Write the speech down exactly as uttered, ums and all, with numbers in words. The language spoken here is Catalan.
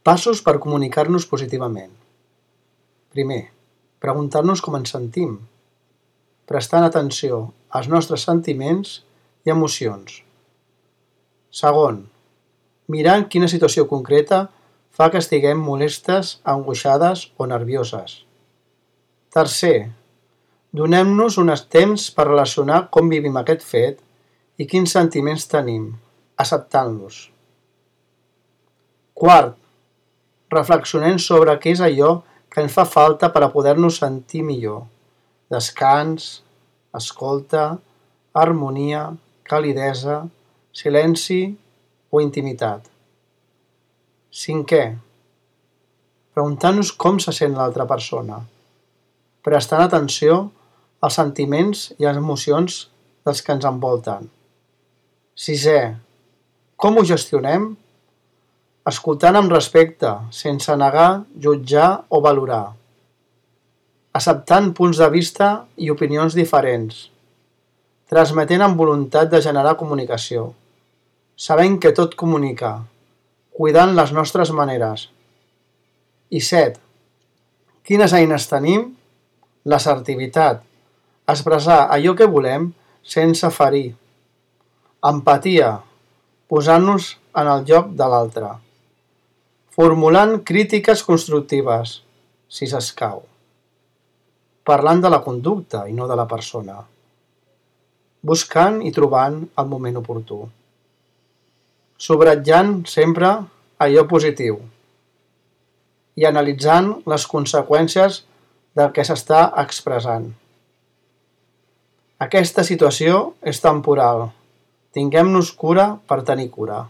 Passos per comunicar-nos positivament. Primer, preguntar-nos com ens sentim, prestant atenció als nostres sentiments i emocions. Segon, mirar en quina situació concreta fa que estiguem molestes, angoixades o nervioses. Tercer, donem-nos un temps per relacionar com vivim aquest fet i quins sentiments tenim, acceptant-los. Quart, reflexionem sobre què és allò que ens fa falta per a poder-nos sentir millor. Descans, escolta, harmonia, calidesa, silenci o intimitat. Cinquè, preguntar-nos com se sent l'altra persona, prestant atenció als sentiments i a les emocions dels que ens envolten. Sisè, com ho gestionem? Escoltant amb respecte, sense negar, jutjar o valorar. Acceptant punts de vista i opinions diferents. Transmetent amb voluntat de generar comunicació. Sabent que tot comunica. Cuidant les nostres maneres. I set. Quines eines tenim? L'assertivitat. Expressar allò que volem sense ferir. Empatia. Posant-nos en el lloc de l'altre. Formulant crítiques constructives, si s'escau. Parlant de la conducta i no de la persona. Buscant i trobant el moment oportú. Subratllant sempre allò positiu. I analitzant les conseqüències del que s'està expressant. Aquesta situació és temporal. Tinguem-nos cura per tenir cura.